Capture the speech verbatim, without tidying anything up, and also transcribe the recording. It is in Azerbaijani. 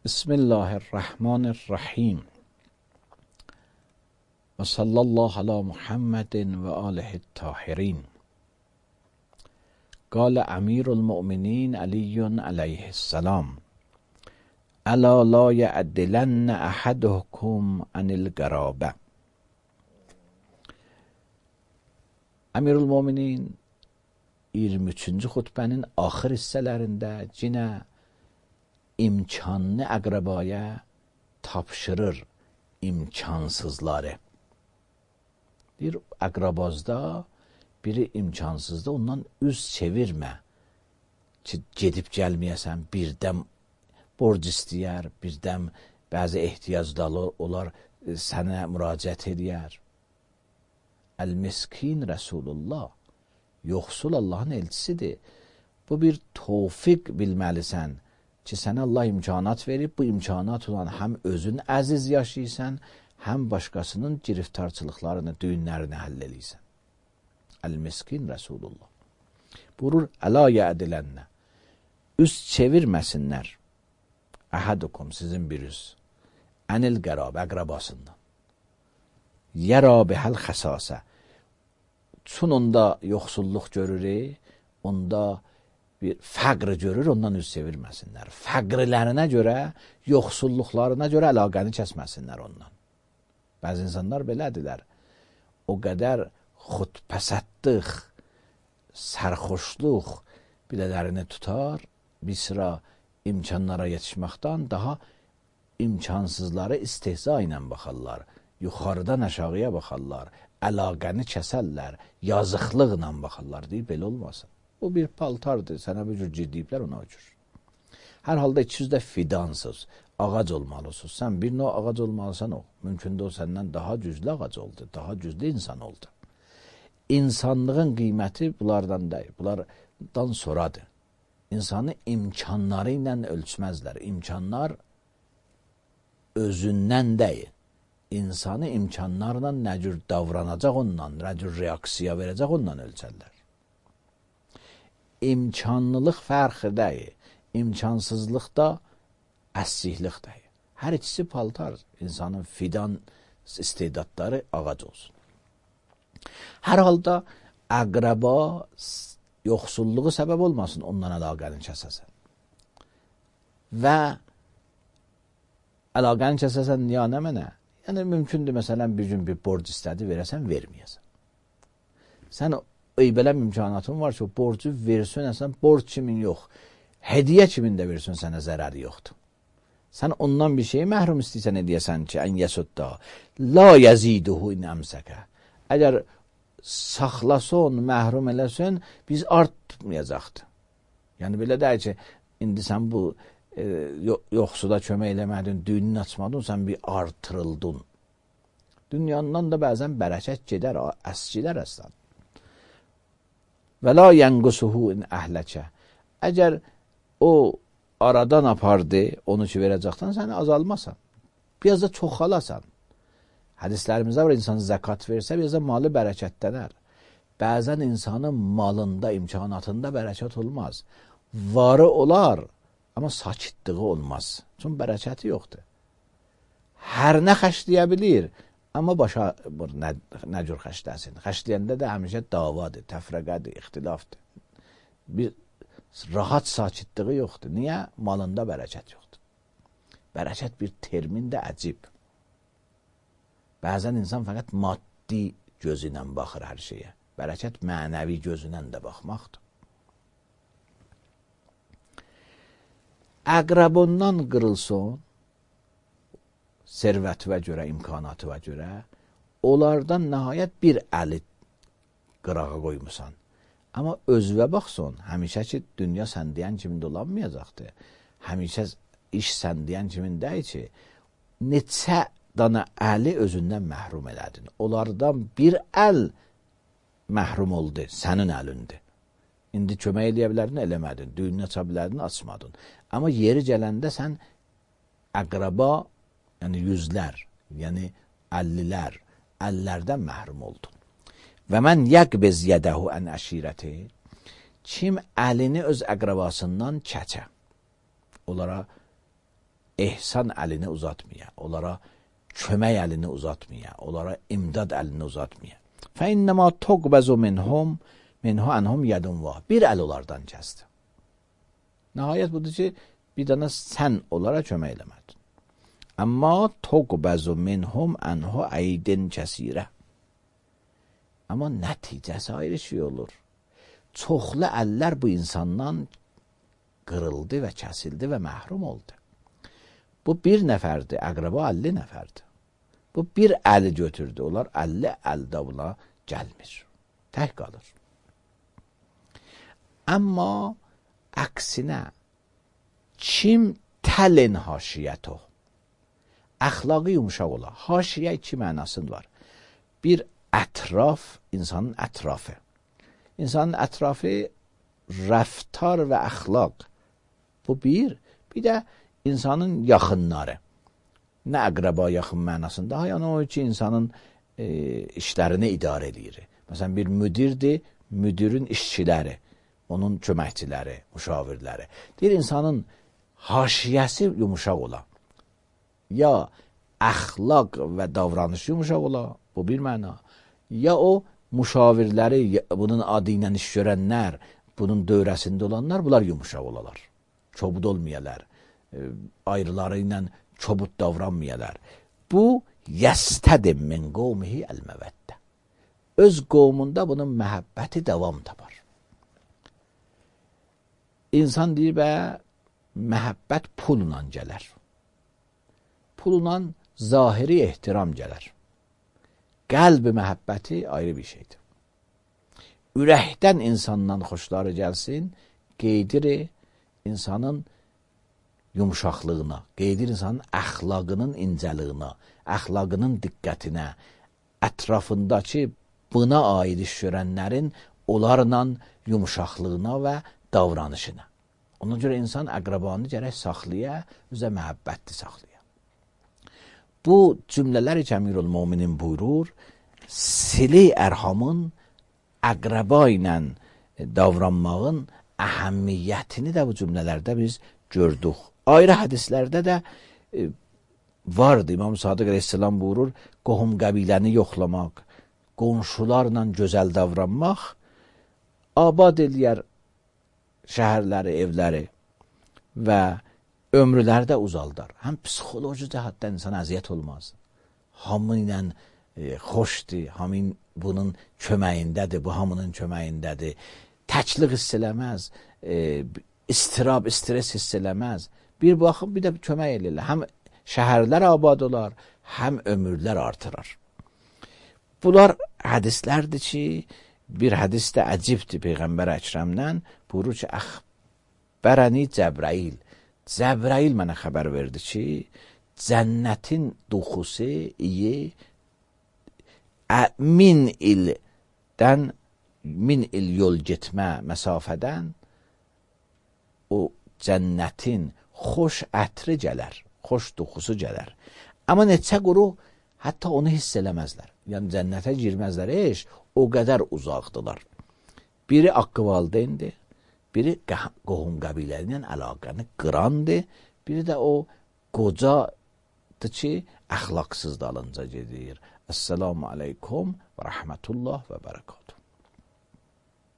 بسم الله الرحمن الرحیم و صلی الله علی محمد و آله الطاهرین. قال امیر المؤمنین علی علیه السلام: الا لا یعدلن احدکم عن القرابه. Əmir el-Möminin iyirmi üçüncü xutbənin axır hissələrində yenə imkanlı əqrabaya tapşırır imkansızları. Bir əqrabazda biri imkansızda ondan üz çevirmə ki, gedib gəlməyəsən, birdən borc istəyər, birdən bəzi ehtiyacları olar, sənə müraciət edər. El-Miskin Resulullah, yoxsul Allahın elçisidir. Bu bir tövfiq bilməlisən ki, sənə Allah imkanat verib, bu imkanat olan həm özün əziz yaşayırsan, həm başqasının giriftarçılıqlarını, düyünlərini həll eləyirsən. El-Miskin Resulullah. Buyurur, əla yədilənə, üz çevirməsinlər, əhadukum, sizin bir üz, ənil qərab, əqrabasından. Yəra bihəl xəsasə, çün onda yoxsulluq görür, onda bir fəqr görür, ondan üz çevirməsinlər. Fəqrlərinə görə, yoxsulluqlarına görə əlaqəni kəsməsinlər ondan. Bəzi insanlar belədirlər, o qədər xudpəsəddıq, sərxoşluq bilələrini tutar, bir sıra imkanlara yetişməkdən daha imkansızları istehza ilə baxarlar. Yuxarıdan aşağıya baxarlar, əlaqəni kəsərlər, yazıqlıqla baxarlar deyib, belə olmasın. O bir paltardır, sənə bir cür ciddiyiblər ona ucur. Hər halda ikiniz də fidansız, ağac olmalısınız. Sən bir növ ağac olmalısan o. Mümkün də o səndən daha güclü ağac oldu, daha güclü insan oldu. İnsanlığın qiyməti bunlardan deyil, bunlardan sonradır. İnsanı imkanları ilə ölçməzlər. İmkanlar özündən deyil. İnsanı imkanlarla nə cür davranacaq ondan, nə cür reaksiya verəcək ondan ölçərlər. İmkanlılıq fərqi deyil, imkansızlıq da əsliklik deyil. Hər ikisi paltar, insanın fidan istedadları ağac olsun. Hər halda əqraba yoxsulluğu səbəb olmasın, ondan əlaqəni kəsəsən. Və əlaqəni kəsəsən ya nə mənə? Yəni, mümkündür, məsələn, bir gün bir borc istədi, verəsən, verməyəsən. Sən eybələm imkanatın var ki, o borcu versin, əsən, borc kimin yox, hediyə kimin də versin, sənə zərəri yoxdur. Sən ondan bir şeyi məhrum istəysən edəyəsən ki, ən yəsudda, la yəziduhu in əmsəkə. Əgər saxlasın, məhrum eləsin, biz artmayacaqdır. Yəni, belə deyək ki, indi sən bu E, yoxsuda kömək eləmədin, düyününü açmadın, sən bir artırıldın. Dünyandan da bəzən bərəkət gedər, əskilər əslən. Və la yənqusuhu in əhləkə. Əgər o aradan apardı, onu ki verəcəkdən, səni azalmasan. Biraz da çoxalasan. Hədislərimizdə var, insan zəkat versə, biraz da malı bərəkətlənər. Bəzən insanın malında, imkanatında bərəkət olmaz. Varı olar, amma sakitliği olmaz. Çünki bərəkəti yoxdur. Hər nə xəşləyə bilir, amma başa nə, nə cür xəşləsin. Xəşləyəndə də həmişə davadır, təfrəqədir, ixtilafdır. Bir rahat sakitliği yoxdur. Niyə? Malında bərəkət yoxdur. Bərəkət bir termin də əcib. Bəzən insan fəqət maddi gözü ilə baxır hər şeyə. Bərəkət mənəvi gözü ilə də baxmaqdır. Əqrabondan qırılsın, servətivə görə, imkanatıva görə, onlardan nəhayət bir əli qırağa qoymusan. Amma özvə baxsın, həmişə ki, dünya sən deyən kimi dolanmayacaqdır. Həmişə iş sən deyən kimi deyil ki, neçə dana əli özündən məhrum elədin. Onlardan bir əl məhrum oldu, sənin əlindir. İndi kömək eləyə bilərdin, eləmədin. Düyününü aça bilərdin, açmadın. Amma yeri gələndə sən əqraba, yəni yüzlər, yəni əllilər, əllərdən məhrum oldun. Və mən yəqbiz yədəhu ən əşirəti, kim əlini öz əqrabasından çəkə, onlara ehsan əlini uzatmaya, onlara kömək əlini uzatmaya, onlara imdad əlini uzatmaya. فَاِنَّمَا تُقْبَزُ مِنْهُمْ مِنْهُ أَنْهُمْ يَدٌ وَا Bir əl onlardan kəsdi. Nəhayət budur ki, bir dana sən onlara kömək eləmədin. Amma تُقْبَزُ مِنْهُمْ أَنْهُ عَيْدٍ كَسِيرًا Amma nəticəsi ayrı şey olur. Çoxlu əllər bu insandan qırıldı və kəsildi və məhrum oldu. Bu bir nəfərdir, əqrəba əlli nəfərdir. Bu bir əli götürdü, onlar əlli əldə buna gəlmir. Tək qalır. Amma əksinə, kim təlin haşiyyəto, əxlaqı yumuşaq ola. Haşiyyə iki mənasın var. Bir ətraf, insanın ətrafı. İnsanın ətrafı rəftar və əxlaq. Bu bir. Bir də insanın yaxınları. Nə əqrəba yaxın mənasında, yəni o ki, insanın e, işlərini idarə edir. Məsələn, bir müdirdir, müdirin işçiləri, onun köməkçiləri, müşavirləri. Deyir, insanın haşiyəsi yumuşaq ola. Ya əxlaq və davranış yumuşaq ola, bu bir məna. Ya o müşavirləri, bunun adı ilə iş görənlər, bunun dövrəsində olanlar, bunlar yumuşaq olalar. Çobud olmayalar, e, ayrıları ilə çobud davranmayalar. Bu, yəstədim min qovmihi əl-məvəddə. Öz qovmunda bunun məhəbbəti davam tapar. İnsan deyir, bə, məhəbbət pulla gələr. Pulla zahiri ehtiram gələr. Qəlbi məhəbbəti ayrı bir şeydir. Ürəkdən insandan xoşları gəlsin, qeydir insanın yumuşaqlığına, qeydir insanın əxlaqının incəliyinə, əxlaqının diqqətinə, ətrafındakı buna aid iş görənlərin onlarla yumuşaqlığına və davranışına. Ona görə insan əqrabanı gərək saxlaya, özə məhəbbətli saxlaya. Bu cümlələri ki, Əmirül-Möminin buyurur, sili ərhamın əqraba ilə davranmağın əhəmmiyyətini də bu cümlələrdə biz gördük. Ayrı hədislərdə də e, vardı. İmam Sadiq Aleyhisselam buyurur, qohum qəbiləni yoxlamaq, qonşularla gözəl davranmaq, abad eləyər şəhərləri, evləri və ömrüləri də uzaldar. Həm psixoloji cəhətdən insan əziyyət olmaz. Hamı ilə e, xoşdur, hamı bunun köməyindədir, bu hamının köməyindədir. Təklik hiss eləməz, e, istirab, stres hiss eləməz. Bir baxım, bir də kömək eləyirlər. Həm şəhərlər abad olar, həm ömürlər artırar. Bunlar hədislərdir ki, bir hədis də əcibdir Peyğəmbər Əkrəmdən. Buyurur ki, əxbərəni Cəbrail. Cəbrail mənə xəbər verdi ki, cənnətin duxusu iyi min ildən, min il yol getmə məsafədən o cənnətin xoş ətri gələr, xoş duxusu gələr. Amma neçə quru hətta onu hiss eləməzlər. Yəni cənnətə girməzlər, eş, o qədər uzaqdılar. Biri haqqı valideyndir, biri qohum qəbilələrlə əlaqəni qırandır, biri də o qocadır ki, əxlaqsız dalınca gedir. Əssalamu aleykum və rəhmətullah və bərəkatuhu.